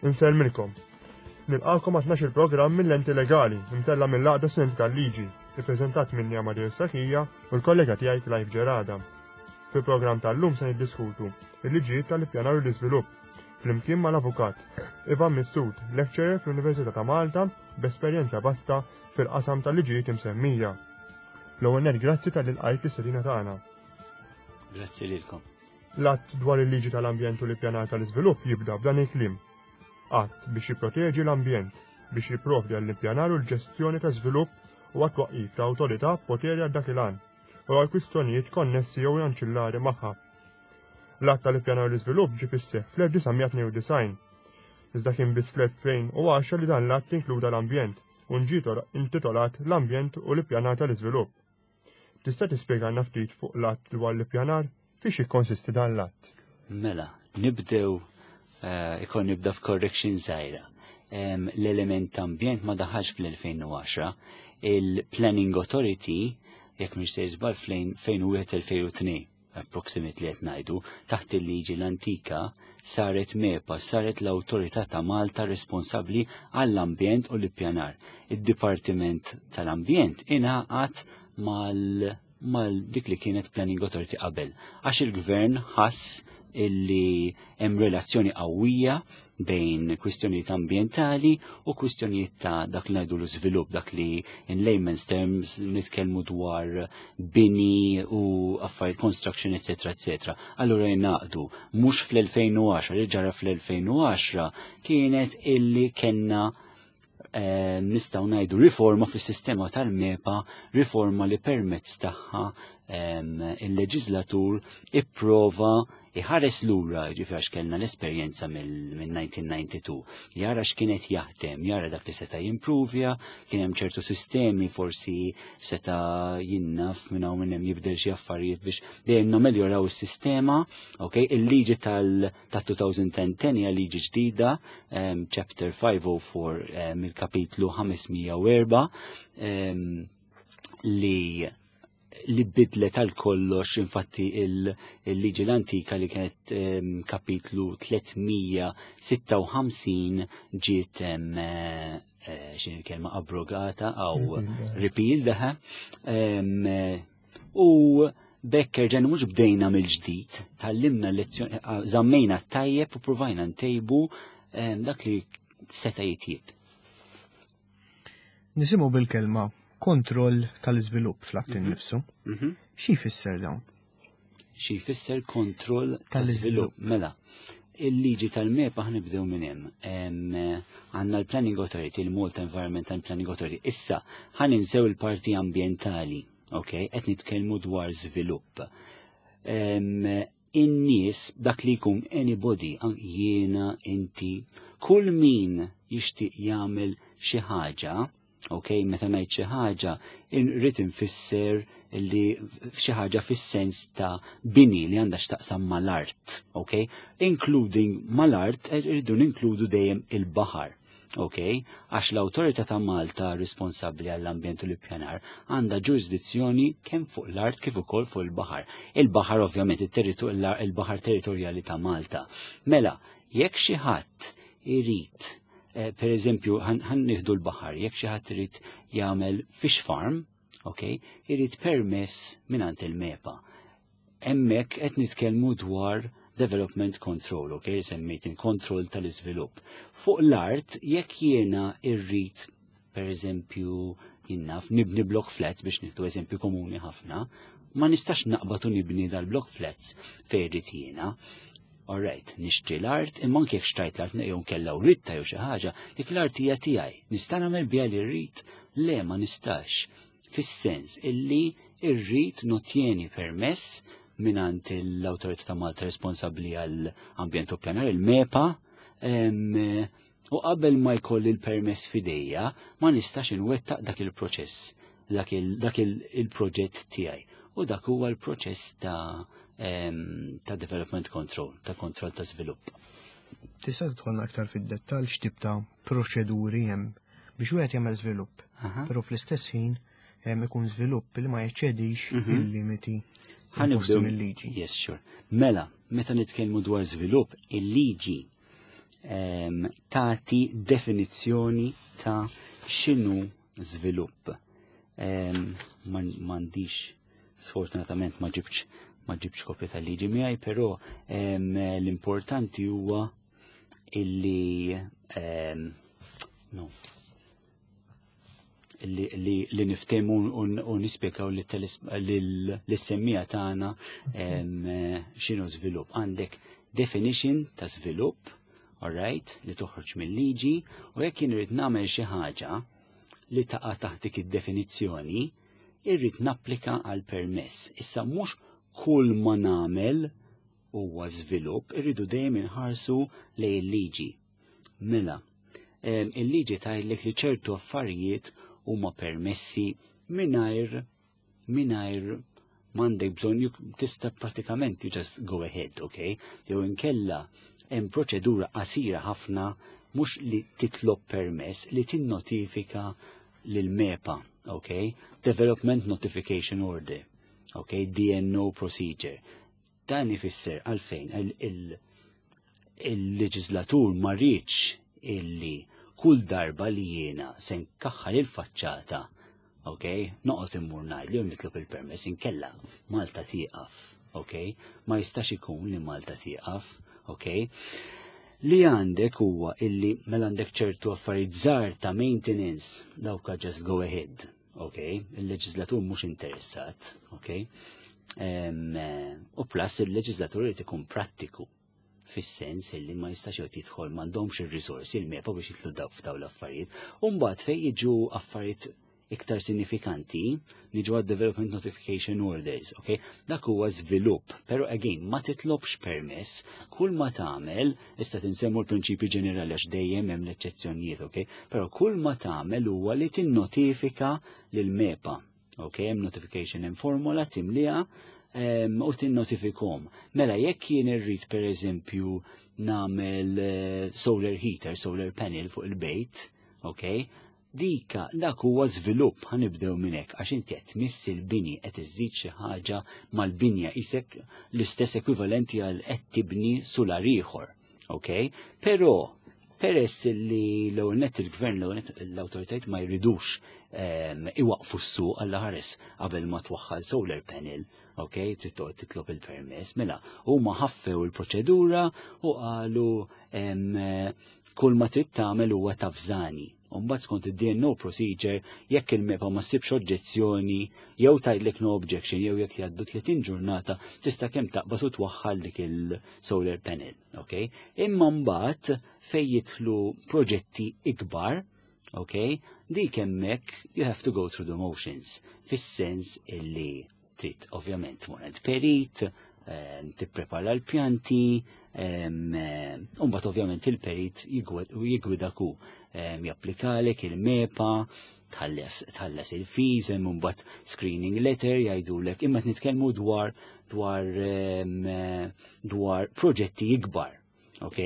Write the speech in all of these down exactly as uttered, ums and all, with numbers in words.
Insellmilkom. Nilqakom għat il programm mill-Lenti Legali, imtella mill-Għaqda Studenti tal-Liġi, ippreżentat minni Amadeus Sakija u l-kollega tiegħi Clive Gerada. Fil-programm tal-lum se niddiskutu il-liġijiet tal-ippjanar u l-iżvilupp flimkien mal-avukat Ivan Mifsud, lecturer fl-Università ta' Malta b'esperjenza vasta fil-qasam tal-liġijiet imsemmija. L-ewwel nett, grazzi talli lqajt l-istedina tagħna. Grazzi lilkom. L-att dwar il-liġi tal-ambjent u l-ippjanar tal-iżvilupp jibda b'dan il-kliem: "Att biex jipproteġi l-ambjent, biex jipprovdi għall-ippjanar u l-ġestjoni ta' żvilupp u għat-twaqqif ta' awtorità b'poteri għal dak il-għan u għal kwistjonijiet konnessi jew anċillari magħha." L-att tal-ippjanar u l-iżvilupp ġie fis-seħħ fl-elf disa' mija tnejn u disgħin. Iżda kien biss fl-elfejn u għaxra li dan l-att inkluda l-ambjent u ġie intitolat l-Ambjent u l-Ippjanar tal-Iżvilupp. Tista' tispjegana ftit fuq l-att dwar l-ippjanar? Fiex jikkonsisti dan l-att? Mela, nibdew uh, ikon nibda f'correction żgħira. Um, L-element ambjent ma daħalx fl-elfejn u għaxra. Il-Planning Authority, jekk mhux se żball, fl-elfejn u wieħed-elfejn u tnejn approximately qed ngħidu, taħt il-liġi l-antika saret MEPA, saret l-Awtorità ta' Malta responsabbli għall-ambjent u l-ippjanar. Id-Dipartiment tal-Ambjent ingħaqad mal mal dik li kienet Planning Authority qabel. Għax il-gvern ħass illi hemm relazzjoni qawwija bejn kwistjonijiet ambjentali u kwistjonijiet ta' dak li ngħidu l-iżvilupp, dak li in layman's terms nitkellmu dwar bini u affarijiet construction, eċetera, eċetera. Allura jnaqdu mhux fl-elfejn u għaxra. Li ġara fl-elfejn u għaxra kienet illi kellna eh, nistgħu ngħidu riforma fis-sistema tal-MEPA, riforma li permezz tagħha il-leġislatur ipprova iħares lura, ġifieri għax kellna l-esperjenza mill-elf disa' mija disgħa u disgħin, jara x'kienet jaħdem, jara dak li seta' jimprovja, kien hemm ċertu sistemi forsi seta' jinnaf minn hawn minn hemm jibdel xi affarijiet biex dejjem nameljoraw is-sistema, ok, il-liġi tal-elfejn u għaxra hija liġi ġdida, chapter five oh four, mill-kapitlu ħames mija u erbgħa, li li bidlet għal kollox infatti il-liġi l-antika li kienet kapitlu tliet mija u sitta u ħamsin ġiet eh, xin il-kelma, abrogata aw repeal daħa. U b'hekk erġajna mhux bdejna mill-ġdid, tgħallimna lezzjoni, żammejna tajjeb u provajna ntejbu dak li seta' jitjib. Nisimgħu bil-kelma kontroll tal-iżvilupp fl-att mhm. innifsu. Mhm. Xi jfisser dawn? Xi jfisser kontroll tal-iżvilupp? Mela, il-liġi tal-MEPA, ħa nibdew minn hemm. Għandna l-Planning Authority, il-Malta Environment and Planning Authority. Issa, ħa ninsew il-parti ambientali, ok? Qed nitkellmu dwar żvilupp. In-nies, dak li jkun anybody, jiena, inti, kull min jixtieq jagħmel xi ħaġa, ok, meta ngħid xi ħaġa, irrid infisser li xi ħaġa fis-sens ta' bini li għandha x'taqsam mal-art, ok? Including mal-art, irridu ninkludu dejjem il-baħar. Ok, għax l-Awtorità ta' Malta responsabbli għall-ambjent u l-ippjanar għandha ġurisdizzjoni kemm fuq l-art kif ukoll fuq il-baħar. Il-baħar ovvjament il-baħar territorjali ta' Malta. Mela, jekk xi ħadd irid eh, per eżempju, ħa nieħdu l-baħar, jekk xi ħadd irid jagħmel fish farm, ok, irid permess mingħand il-MEPA. Hemmhekk qed nitkellmu dwar development control, ok, semmejt il-kontroll tal-iżvilupp. Fuq l-art, jekk jiena irrid, per eżempju, jinnaf, nibni block flats, biex nieħdu eżempju komuni ħafna, ma nistax naqbad u nibni dal-block flats fejn irrid jiena. Alright, nixtri l-art, imma anke jekk xtrajt l-art jew kella u ritta jew xi ħaġa, dik l-art hija tiegħi. Nista' nagħmel biha li rrid? Le, ma nistax. Fis-sens illi irrid notjeni permess mingħand l-Awtorità ta' Malta responsabbli għall ambjent u pjanar, il-MEPA, u qabel ma jkolli l-permess f'idejja, ma nistax inwettaq dak il-proċess, dak il-proġett tiegħi. U dak huwa l-proċess ta' ta' development control, ta' kontroll ta' svilupp. Tista' tidħolna aktar fid-dettall x'tip ta' proċeduri hemm biex wieħed jagħmel żvilupp, però fl-istess ħin hemm ikun żvilupp li ma jeċċedix mhm. il-limiti imposti mill-liġi? Yes, sure. Mela, meta nitkellmu dwar żvilupp, il-liġi tagħti definizzjoni ta' x'inhu żvilupp. M'għandix, sfortunatament ma ġibx ma ġibx kopja tal-liġi miegħi, però l-importanti huwa illi no li, li, li niftehmu u nispjegaw lis-semmiegħa tagħna x'inhu żvilupp. Għandek definition ta' żvilupp, alright, li toħroġ mill-liġi, u jekk jien irrid nagħmel xi ħaġa li taqa' taħt dik id-definizzjoni, irrid napplika għal permess. Issa mhux kull ma nagħmel huwa żvilupp, irridu dejjem inħarsu lejn il-liġi. Mela, il-liġi tgħidlek li ċertu affarijiet huma permessi mingħajr mingħajr m'għandek bżonn, tista' pratikament you just go ahead, okay? Jew inkella hemm proċedura qasira ħafna, mhux li titlob permess, li tinnotifika lil MEPA, okay? Development Notification Order, okay? D N O procedure. Dan ifisser għalfejn il-leġislatur ma riedx illi kull darba li jiena se nkaħħal il-faċċata, ok, noqgħod immur ngħid li nitlob il-permess, inkella Malta tieqaf, ok? Ma jistax ikun li Malta tieqaf, ok? Li għandek huwa illi mela għandek ċertu affarijiet żgħar ta' maintenance, dawka just go ahead, ok? Il-leġislatur mhux interessat, ok? U plus il-leġislatur irid ikun prattiku fis-sens illi ma jistax joqgħod jidħol, m'għandhomx ir-risorsi il-MEPA biex jidħlu daw f'daw l-affarijiet. U mbagħad fejn jiġu affarijiet iktar sinifikanti, niġu għad Development Notification Orders, ok? Dak huwa żvilupp, pero again, ma titlobx permess, kull ma tagħmel, issa tinsemmu l-prinċipi ġenerali għax dejjem hemm l-eċċezzjonijiet, ok? Pero kull ma tagħmel huwa li tinnotifika lil MEPA, ok? Hemm notification hemm formola timliha u tinnotifikhom. Mela jekk jien irrid, per eżempju, nagħmel eh, solar heater, solar panel fuq il-bejt, ok? Dika, dak huwa żvilupp, ħa nibdew minn hekk, għax inti qed tmiss il-bini, qed iżid xi ħaġa mal-binja, isek l-istess ekwivalenti għal qed tibni sular ieħor, ok? Però peress li l-ewwel nett il-gvern, l-ewwel nett l-awtoritajiet ma jridux iwaqfu s-suq għalla ħares qabel ma twaħħal solar panel, ok, trid toqgħod titlob il-permess, mela huma ħaffew il-proċedura u qalu kull ma trid tagħmel huwa tavżani. Mbagħad skont id-D N O procedure, jekk il-MEPA ma ssibx oġġezzjoni jew tgħidlek no objection jew jekk jgħaddu tletin ġurnata, tista' kemm taqbad u twaħħal dik il-solar panel, ok? Imma mbagħad fejn jidħlu proġetti ikbar, ok? Dik hemmhekk you have to go through the motions, fis-sens illi trid ovvjament tmur għand perit, tipprepara l-pjanti, mbagħad ovvjament il-perit jigwidak u japplikalek il-MEPA, tħallas il-fees, hemm mbagħad screening letter jgħidulek, imma nitkellmu dwar dwar dwar proġetti ikbar, ok?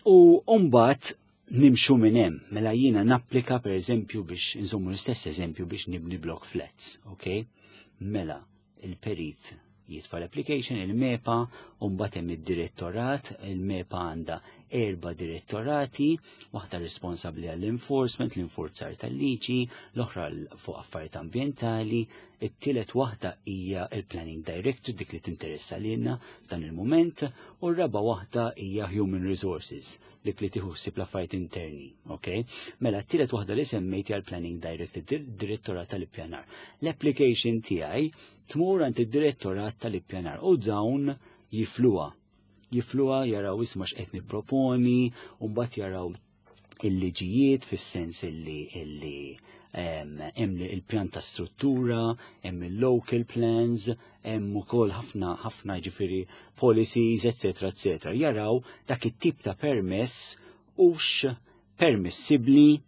U mbagħad nimxu minn hemm, mela jiena napplika, per eżempju, biex inżommu l-istess eżempju, biex nibni block flats, ok? Mela il-perit jitfa l-application, il-MEPA, u mbagħad hemm id-direttorat, il-MEPA għandha erba' direttorati, waħda responsabbli għall-enforcement, l-infurzar tal-liġi, l-oħra fuq affarijiet ambjentali, it-tielet waħda hija il-Planning Director, dik li tinteressa lilna f'dan il-moment, u r-raba waħda hija Human Resources, dik li tieħu ħsieb l-affarijiet interni, ok? Mela t-tielet waħda li semmejt hija l-Planning Director, direttorat tal-ippjanar. L-application tiegħi tmur għand id-direttorat tal-ippjanar u dawn jifluha. Jifluha, jaraw isma' x'qed nipproponi, u mbagħad jaraw il-liġijiet fis-sens illi illi hemm il-pjan ta' struttura, hemm il-local plans, hemm ukoll ħafna ħafna ġifieri policies, eċetera, eċetera. Jaraw dak it-tip ta' permess hux permissibbli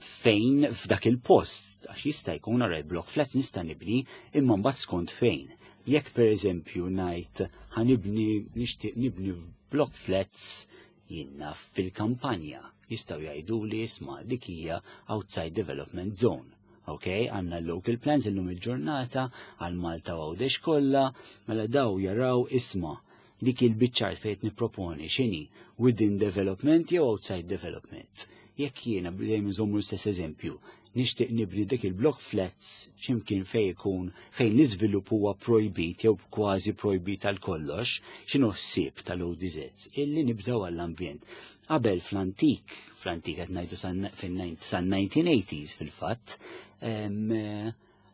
fejn f'dak il-post, għax jista' jkun ara block flats nista' nibni, imma mbagħad skont fejn. Jekk, per eżempju, ngħid ħa nibni, nixtieq nibni block flats jiena fil-kampanja, jistgħu jgħidu li isma', dik hija outside development zone. Ok, għandna local plans illum il-ġurnata għal Malta u Għawdex kollha, mela daw jaraw isma' Dik il-biċċa art fejn nipproponi x'inhi within development jew outside development. Jekk jiena, dejjem nżommu l-istess eżempju, nixtieq nibni dik il-block flats x'imkien fejn ikun fejn l-iżvilupp huwa projbit jew kważi projbit għal kollox, x'inhu ħsieb tal-O D Zs? Illi nibżgħu għall-ambjent. Qabel fl-antik, fl-antik qed ngħidu san nineteen eighties fil-fatt,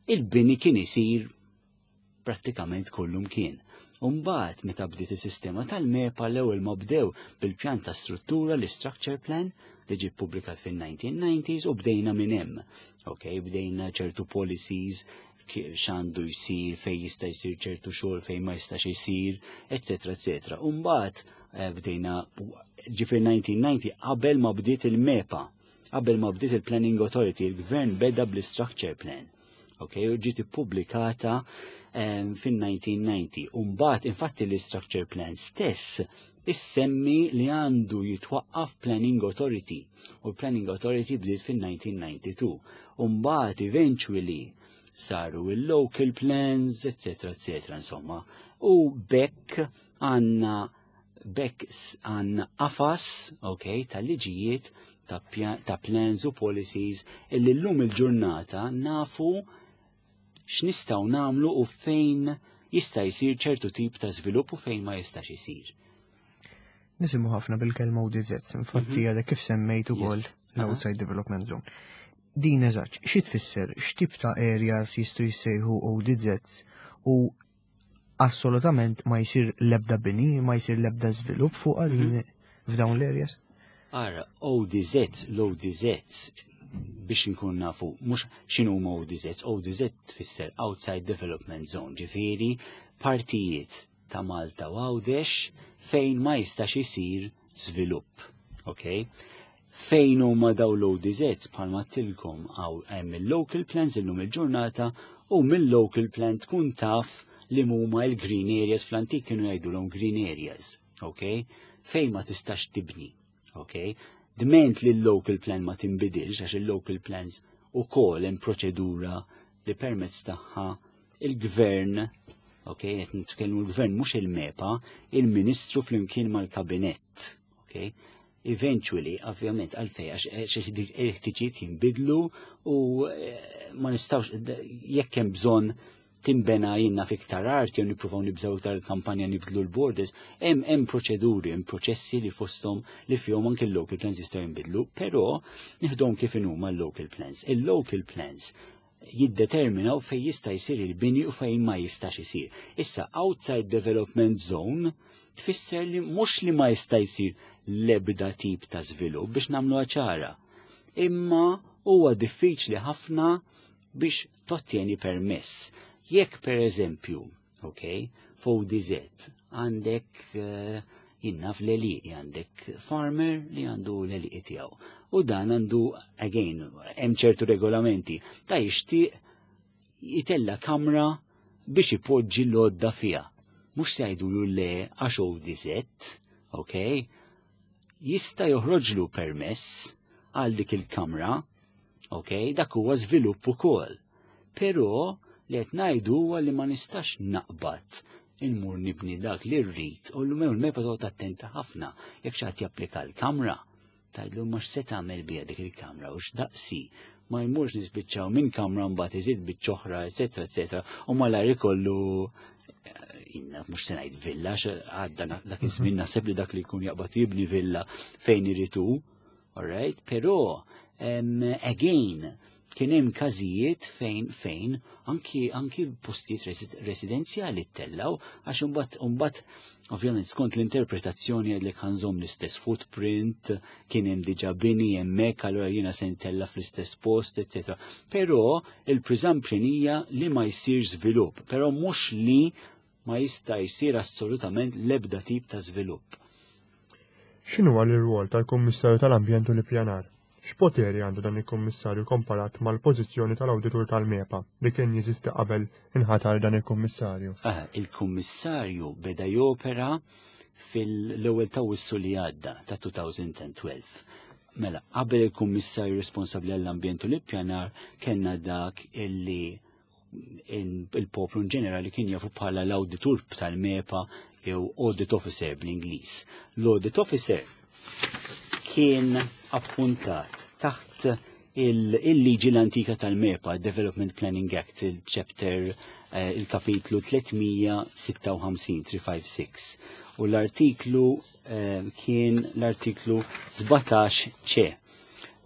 il-bini kien isir prattikament kullum kien. Umbagħad meta bdiet is-sistema tal-MEPA, l-ewwel ma bdew bil-pjan ta' struttura, l-structure plan li ġie publikat fin-nineteen nineties, u bdejna minn hemm. Ok, bdejna ċertu policies, x'għandu jsir, fej jista' jsir ċertu xogħol, fejn ma jistax jsir, eċetera, eċetera. Umbagħad eh, bdejna ġifier nineteen ninety, qabel ma bdiet il-MEPA, qabel ma bdiet il-Planning Authority, il-gvern beda bl-structure plan. Ok, u ġiet ippubblikata fin-nineteen ninety. Umbagħad, infatti, l-structure plan stess issemmi li għandu jitwaqqaf Planning Authority. U l-Planning Authority bdiet fin-nineteen ninety-two. Umbagħad eventually saru il-local plans, eccetera, eccetera, insomma. U bekk għandna bekk għandna qafas, ok, tal-liġijiet ta', ta plans u policies illi l-lum il-ġurnata nafu x'nistgħu nagħmlu u fejn jista' jsir ċertu tip ta' żvilupp u fejn ma jistax isir. Nisimgħu ħafna bil-kelma O D Z, infatti mhm. għadek kif semmejt ukoll l-Outside Development Zone. Din eżatt, xi tfisser, x'tip ta' areas jistgħu jissejħu O D Zs u assolutament ma jsir lebda bini, ma jsir lebda żvilupp fuq għalin mhm. f'dawn l-areas? Ara, O D Zs, l-O D Zs biex nkun nafu, mhux x'inhu huma O D Zs, O D Z tfisser Outside Development Zone, ġifieri partijiet ta' Malta u Għawdex fejn ma jistax isir żvilupp. Ok? Fejn huma daw l-O D Zs? Bħalma għedtilkom, hawn hemm il-local plans illum il-ġurnata u mill-local plan tkun taf li huma il-green areas, fl-antik kienu jgħidulhom green areas, ok? Fejn ma tistax tibni, ok? Dment li l-local plan ma tinbidilx, għax il-local plans ukoll hemm proċedura li permezz tagħha il-gvern, ok, qed nitkellmu l-gvern, mhux il-MEPA, il-ministru flimkien mal-kabinett, ok? Eventually, ovvjament, għalfej, għax il-ħtiġijiet jinbidlu u eh, ma nistgħux, jekk hemm bżonn timbena jinna fiktar art jew nippruvaw nibżaw iktar kampanja, nibdlu l-borders, hemm hemm proċeduri, hemm proċessi li fosthom li fihom anke l-local plans jistgħu jinbidlu, però nieħdhom kif inhuma l-local plans. Il-local plans jiddeterminaw fej jista' jsir il-bini u fejn ma jistax isir. Issa, outside development zone tfisser li mhux li ma jista' jsir l-ebda tip ta' żvilupp, biex nagħmlu ċara. Imma huwa diffiċli ħafna biex tottjeni permess. Jekk per eżempju, ok, f'O D Z għandek uh, jinnaf l-għelieqi, għandek farmer li għandu l-għelieqi tiegħu. U dan għandu, again, hemm ċertu regolamenti, ta' jixtieq jitella kamra biex ipoġġi l-għodda fiha. Mhux se jgħidulu le għax O D Z, ok? Jista' joħroġlu permess għal dik il-kamra, ok? Dak huwa żvilupp ukoll. Però li qed ngħidu huwa li ma nistax naqbad inmur nibni dak li rrid u l-mew l-MEPA toqgħod attenta ħafna jekk xi ħadd japplika l-kamra. Tgħidlu mhux se tagħmel biha dik il-kamra u x'daqsi, ma jmurx nispiċċaw minn kamra mbagħad iżid biċċ'oħra, eċetera, eċetera, u malajr ikollu inna, mhux se ngħid villa, għadda dak iż-żmien, naħseb li dak li jkun jaqbad jibni villa fejn iritu, alright, però um, again kien hemm każijiet fejn fejn anki anki postijiet residenzjali ttellaw għax imbagħad imbagħad ovvjament skont l-interpretazzjoni li ħa nżomm l-istess footprint, kien hemm diġà bini hemmhekk, allura jiena se ntella fl-istess post, eċetera. Però il-presumption hija li ma jsir żvilupp, però mhux li ma jista' jsir assolutament l-ebda tip ta' żvilupp. X'inhu l-irwol tal-Kummissarju tal-Ambjent u l-Ippjanar? X'poteri għandu dan il-Kummissarju komparat mal-pożizzjoni tal-Awditur tal-MEPA li kien jeżisti qabel inħatar dan il-Kummissarju? Ah, il-Kummissarju beda jopera fil-ewwel ta' Awwissu li għadda ta' elfejn u tnax. Mela, qabel il-Kummissarju responsabbli għall-Ambjent u l-Ippjanar kellna dak illi il-poplu in ġenerali kien jafu bħala l-awditur tal-MEPA jew audit officer bl-Ingliż. L-audit officer kien appuntat taħt il-liġi l-antika tal-MEPA, Development Planning Act, il-chapter, eh, il-kapitlu tliet mija u sitta u ħamsin, tliet mija u ħamsa u sittin. U l-artiklu eh, kien l-artiklu sbatax C.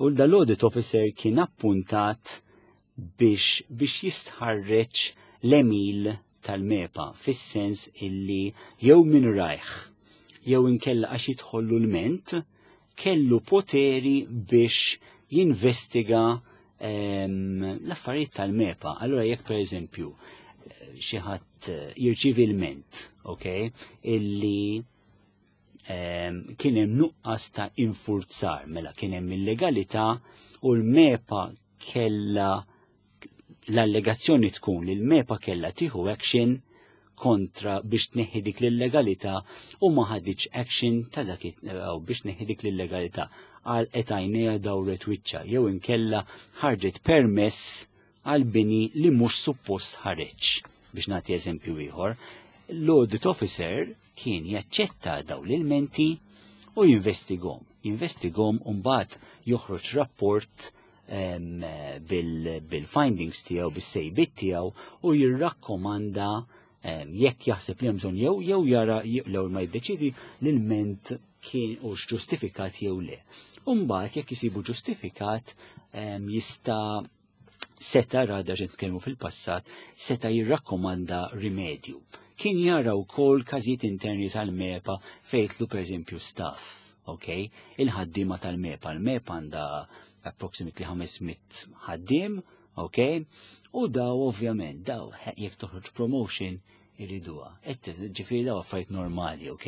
U dal-audit officer kien appuntat biex, biex jistħarreġ l-għemil tal-MEPA, fis-sens illi jew minn rajh jew inkella għax jidħollu lment, kellu poteri biex jinvestiga ehm, l-affarijiet tal-MEPA. Allora jekk, per eżempju, xi ħadd jirċievi lment, ok, illi ehm, kien hemm nuqqas ta' infurzar, mela kien hemm illegalità u l-MEPA kella, l-allegazzjoni tkun li l-MEPA kella tieħu action kontra biex tneħħi dik l-illegalità u ma ħaditx action ta' dak biex tneħħi dik l-illegalità, għal għajnejha, dawret wiċċha, jew inkella ħarġet permess għal bini li mhux suppost ħareġ. Biex nagħti eżempju ieħor, l-audit officer kien jaċċetta daw l-ilmenti u jinvestigahom. Jinvestigahom u mbagħad joħroġ rapport bil-findings tiegħu, bis-sejbiet tiegħu, u jirrakkomanda jekk jaħseb li hemm bżonn jew jew jara l-ewwel ma jiddeċidi l-ilment kien u ġustifikat jew le. Umbagħad jekk isibu ġustifikat, jista', seta', rada ġent kelmu fil-passat, seta' jirrakkomanda rimedju. Kien jara wkoll każijiet interni tal-MEPA fejtlu, per eżempju, staff, ok? Il-ħaddiema tal-MEPA. Il-MEPA għandha approximately ħames mitt ħaddiem, ok? U daw ovvjament, daw jekk toħroġ promotion iriduha. Ġifieri daw affarijiet normali, ok?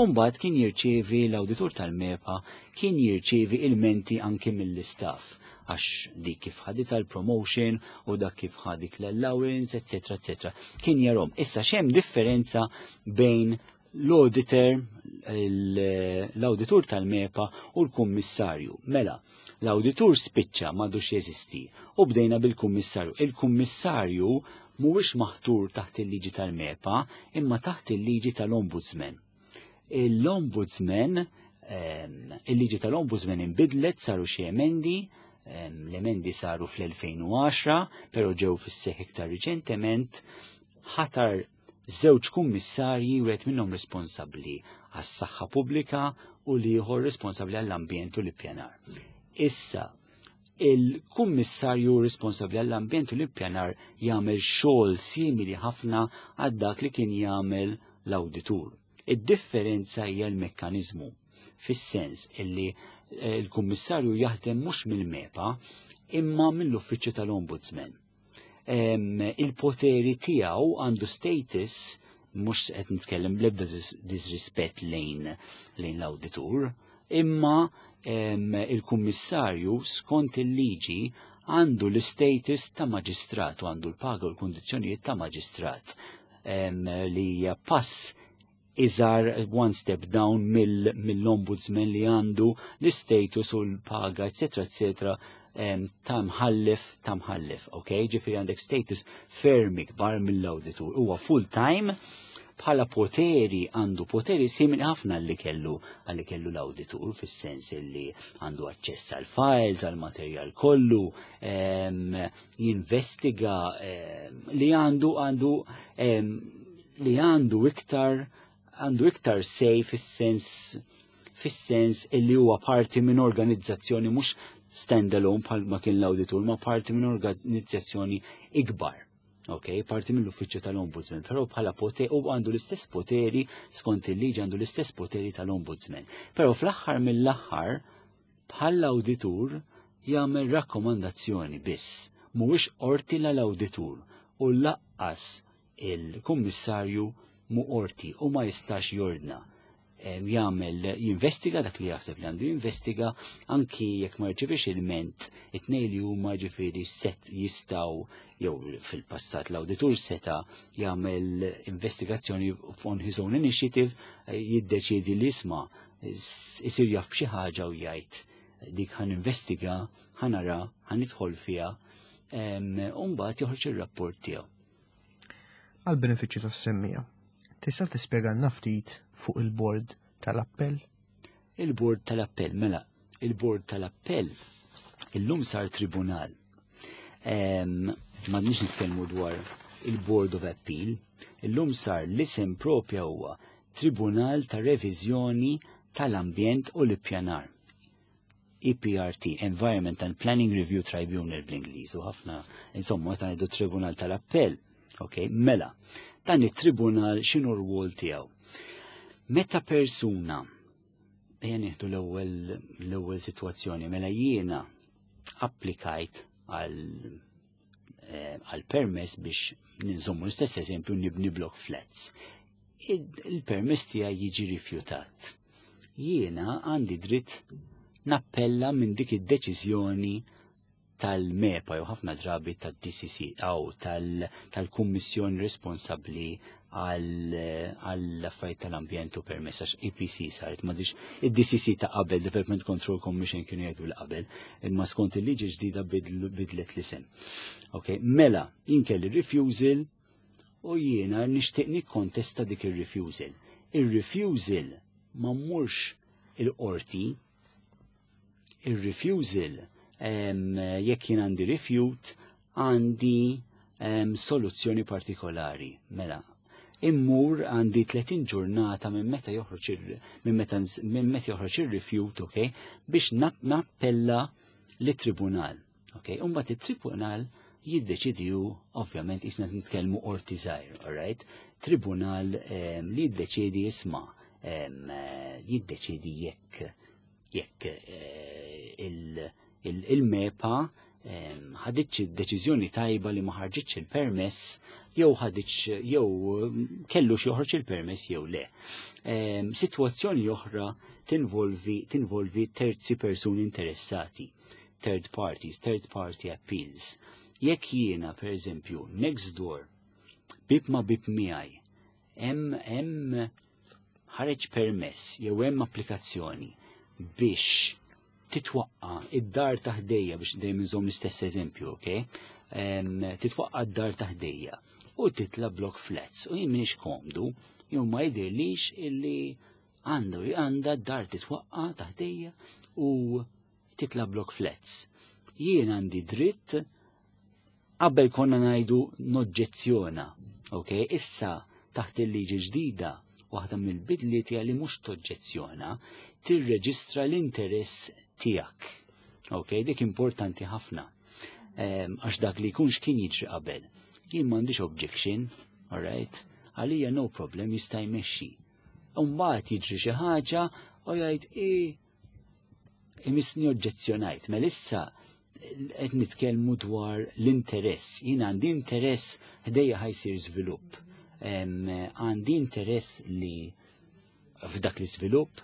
U mbagħad kien jirċievi, l-awditur tal-MEPA kien jirċievi ilmenti anki mill-istaff għax dik kif ħadet l-promotion u dak kif ħadet l-allowance, eccetera, eccetera. Kien jarahom. Issa x'hemm differenza bejn l-auditor, l-auditur tal-MEPA u l-kummissarju? Mela, l-auditur spiċċa, m'għadux jeżisti u bdejna bil-kummissarju. Il-kummissarju mhuwiex maħtur taħt il-liġi tal-MEPA imma taħt il-liġi tal-Ombudsman. L-Ombudsman, il-liġi tal-Ombudsman imbidlet, saru xi emendi, l-emendi saru fl-elfejn u għaxra, pero ġew fis-seħ iktar riċentement, ħatar żewġ kummissarji, wieħed minnhom responsabbli għas-saħħa pubblika u l-ieħor responsabbli għall-ambjent u l-ippjanar. Issa, il-kummissarju responsabbli għall-ambjent u l-ippjanar jagħmel xogħol simili ħafna għal dak li kien jagħmel l-awditur. Id-differenza hija l-mekkaniżmu, fis-sens illi eh, il-kummissarju jaħdem mhux mill-MEPA imma mill-uffiċċju tal-Ombudsman. Il-poteri tiegħu, għandu status, mhux qed nitkellem bl-ebda disrispett lejn lejn l-awditur, imma il-kummissarju skont il-liġi għandu l-status ta' maġistrat u għandu l-paga u l-kundizzjonijiet ta' maġistrat, li hija pass iżgħar, one step down mill-ombudsman li għandu l-status u l-paga, eccetera, eccetera, ta' mħallef, ta' mħallef, ok? Ġifieri għandek status ferm ikbar mill-auditur. Huwa full time, bħala poteri għandu poteri simili ħafna li kellu għalli kellu l-auditur, fis-sens li għandu aċċess għal files, għal materjal kollu, jinvestiga, li għandu għandu li għandu iktar għandu iktar say fis-sens fis-sens illi huwa parti minn organizzazzjoni, mhux standalone bħal ma kien l-auditur, ma parti minn organizzazzjoni ikbar. Ok, parti mill-uffiċċju tal-Ombudsman, però bħala poteri u għandu l-istess poteri, skont il-liġi għandu l-istess poteri tal-Ombudsman. Però fl-aħħar mill-aħħar, bħal auditur jagħmel rakkomandazzjoni biss, mhuwiex qorti l-awditur u lanqas il-kummissarju mu qorti u ma jistax jordna. Jagħmel, jinvestiga dak li jaħseb li għandu jinvestiga, anki jekk ma rċevix ilment, it-tnejn li huma ġifieri set jistgħu, jew fil-passat l-awditur seta' jagħmel investigazzjoni on his own initiative, jiddeċiedi li isma', isir jaf b'xi ħaġa u jgħid dik ħa ninvestiga, ħa nara, ħa nidħol fiha. U mbagħad joħroġ ir-rapport tiegħu. Għal benefiċċju tas-semmiegħa, tista' tispjegalna ftit fuq il-bord tal-appell? Il-bord tal-appell, mela, il-bord tal-appell illum sar tribunal. M'għadniex nitkellmu dwar il-Board of Appeal, illum sar l-isem propja huwa Tribunal ta' Reviżjoni tal-Ambjent u l-Ippjanar. E P R T, Environment and Planning Review Tribunal bl-Ingliż, u ħafna, insomma, ta' ngħidu Tribunal tal-Appell. Ok, mela, dan it-tribunal x'inhu r-rwol tiegħu? Meta persuna, ejja nieħdu l-ewwel l-ewwel sitwazzjoni, mela jiena applikajt għal eh, għal permess biex ninżommu l-istess eżempju, nibni block flats. Il-permess tiegħi jiġi rifjutat. Jiena għandi dritt nappella minn dik id-deċiżjoni tal-MEPA jew ħafna drabi tad-D C C aw tal-kummissjoni responsabbli għall-affarijiet tal-ambjent u permess, għax E P C saret, m'għadhiex id-D C C ta' qabel, Development Control Commission kienu jgħidu l-qabel, imma skont il-liġi ġdida bidlet l-isem. Ok, mela, kelli refusal u jiena nixtieq nikkontesta dik ir-refusal. Ir-refusal ma mmurx il-qorti, il-refusal, jekk jien għandi refute, għandi soluzzjoni partikolari. Mela, immur għandi tletin ġurnata minn meta joħroġ minn meta minn meta joħroġ ir-refute, okay, biex nappella lit-tribunal. Okay, u mbagħad it-tribunal jiddeċidiju, ovvjament qisna nitkellmu qorti żgħir, alright? Tribunal li jiddeċidi, jisma' jiddeċidi jekk jekk eh, il-MEPA ħaditx deċiżjoni tajba li ma ħarġitx il-permess jew ħaditx jew kellu joħroġ il-permess jew le. Sitwazzjoni oħra tinvolvi tinvolvi terzi persuni interessati, third parties, third party appeals. Jekk jiena, per eżempju, next door, bib ma bib miegħi, hemm hemm ħareġ permess jew hemm applikazzjoni biex titwaqqa id-dar ta' ħdejja, biex dejjem inżomm l-istess eżempju, ok? Titwaqqa d-dar ta' ħdejja u titla block flats u jien m'iniex komdu jew ma jidhirlix illi għandu għandha d-dar titwaqqa ta' ħdejja u titla block flats. Jien għandi dritt, qabel konna ngħidu noġġezzjona, ok? Issa taħt il-liġi ġdida, waħda mill-bidliet li mhux toġġezzjona, tirreġistra l-interess tiegħek. Ok, dik importanti ħafna. Għax dak li jkunx kien jiġri qabel. Jien m'għandix objection, alright? Għalija no problem, jista' jmexxi. Mbagħad jiġri xi ħaġa u jgħid i imissni oġġezzjonajt. Mela issa qed nitkellmu dwar l-interess. Jien għandi interess, ħdejja ħa jsir żvilupp. Għandi interess li f'dak l-iżvilupp,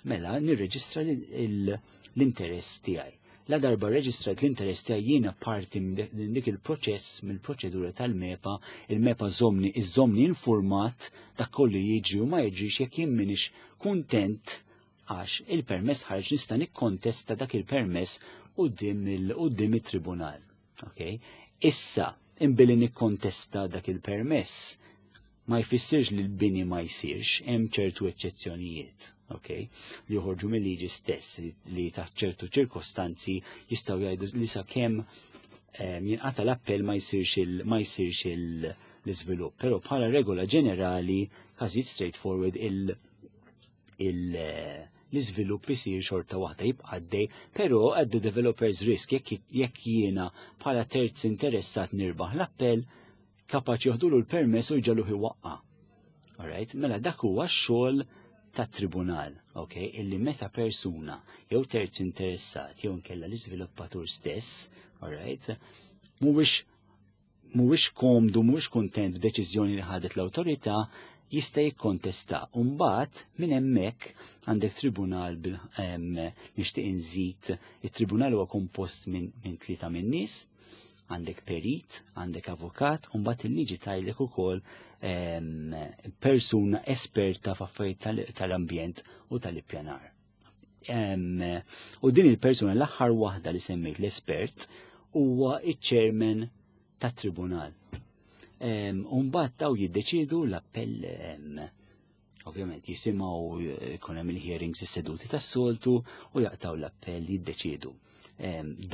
mela nirreġistra l-interess tiegħi. La darba reġistrat l-interess tiegħi, jiena parti minn dik il-proċess, mill-proċedura tal-MEPA, il-MEPA żommni iżommni informat dak kollu jiġri u ma jiġrix. Jekk jien m'iniex kuntent għax il-permess ħarġ, nista' nikkontesta dak il-permess quddiem it-tribunal. Okay? Issa, imbilli nikkontesta dak il-permess, ma jfissirx li l-bini ma jsirx, hemm ċertu eċċezzjonijiet, okay? Li joħorġu mill-liġi stess li taħt ċertu ċirkostanzi jistgħu jgħidu li sakemm jinqata l-appell ma jsirx ma jsirx l-iżvilupp. Però bħala regola ġenerali, każijiet straightforward, il- il- l-iżvilupp isir xorta waħda, jibqa' għaddej, però at the developer's risk, jekk jekk jiena bħala terz interessat nirbaħ l-appell, kapaċi joħdulu l-permess u jġegħluh iwaqqa'. Alright, mela dak huwa x-xogħol tat-tribunal, ok, illi meta persuna jew terz interessat jew nkella l-iżviluppatur stess, alright, mhuwiex mhuwiex komdu, mhuwiex kuntent b'deċiżjoni li ħadet l-awtorità, jista' jikkontesta. Mbagħad minn hemmhekk għandek tribunal bil nixtieq inżid, it-tribunal huwa kompost minn min tlieta minn nies, għandek perit, għandek avukat, u mbagħad il-liġi tgħidlek ukoll persuna esperta f'affarijiet tal-ambjent u tal-ippjanar. U din il-persuna, l-aħħar waħda li semmejt, l-espert, huwa iċ-chairman tat-tribunal. Umbagħad daw jiddeċidu l-appell, ovvjament jisimgħu, jkun hemm il-hearings, is-seduti tas-soltu, u jaqtaw l-appell, jiddeċidu.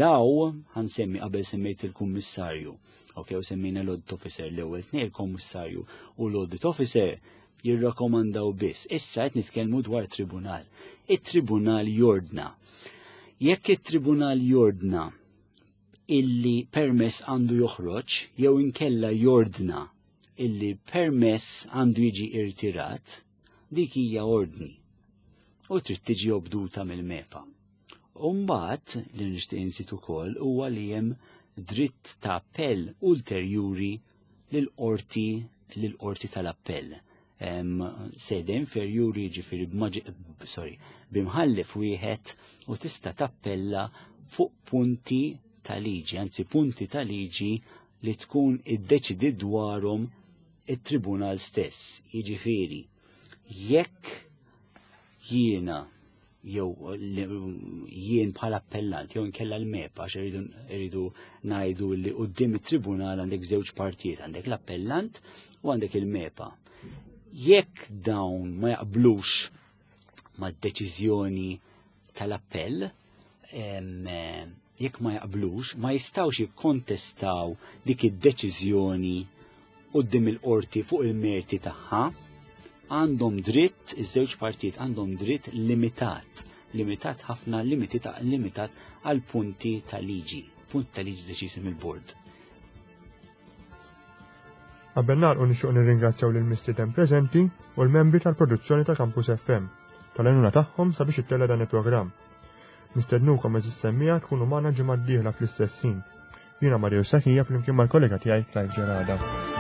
Daw ħa nsemmi, qabel semmejt il-kummissarju, ok, u semmejna l-audit officer, l-ewwel tnejn, il-kummissarju u l-audit officer jirrakkomandaw biss. Issa qed nitkellmu dwar tribunal. It-tribunal jordna. Jekk it-tribunal jordna illi permess għandu joħroġ jew inkella jordna illi permess għandu jiġi irtirat, dik hija ordni u trid tiġi obduta mill-MEPA. Umbagħad li nixtieq insit ukoll huwa li hemm dritt ta' appell ulterjuri lill-qorti lill-qorti tal-appell. Sede inferjuri, ġifieri sorry, b'imħallef wieħed, u tista' tappella fuq punti ta' liġi, anzi punti ta' liġi li tkun iddeċidi dwarhom it-tribunal stess. Jiġifieri, jekk jiena jew jien bħala appellant jew inkella l-MEPA, għax irridu ngħidu li quddiem it-tribunal għandek żewġ partijiet, għandek l-appellant u għandek il-MEPA. Jekk dawn ma jaqblux mad-deċiżjoni tal-appell, jekk ma jaqblux, ma jistawx jikkontestaw dik id-deċiżjoni quddiem il-qorti fuq il-merti tagħha, għandhom dritt, iż-żewġ partijiet għandhom dritt limitat, limitat ħafna, limitat, limitat għal punti ta' liġi, punt ta' liġi deċiżi mill-bord. Qabel nagħlqu, nixtieq nirringrazzjaw lil mistieden preżenti u l-membri tal-produzzjoni ta' Campus F M tal-għajnuna tagħhom sabiex ittella dan il-programm. Nistednukom, għeżież semmiegħa, tkunu magħna ġimgħa d-dieħla fl-istess ħin. Jiena Mario Sakija flimkien mal-kollega tiegħi Clive Ġerada.